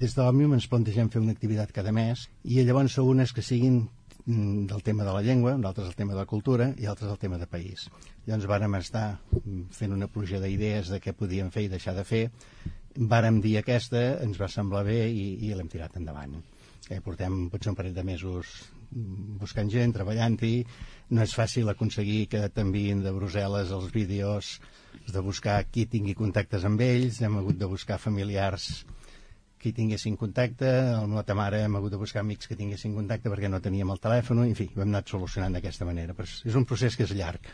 Des de l'Òmnium ens plantegem fer una activitat cada mes i llavors són unes que siguin del tema de la llengua, d'altres el tema de la cultura i altres el tema de país. Llavors vàrem estar fent una pluja d'idees de què podíem fer i deixar de fer. Vàrem dir aquesta, ens va semblar bé i l'hem tirat endavant. Portem potser un parell de mesos buscant gent, treballant-hi. No és fàcil aconseguir que t'enviïn de Brussel·les els vídeos, de buscar qui tingui contactes amb ells, hem hagut de buscar familiars que hi tinguessin contacte, amb la mare hem hagut de buscar amics que tinguessin contacte perquè no teníem el telèfon, en fi, ho hem anat solucionant d'aquesta manera, però és un procés que és llarg.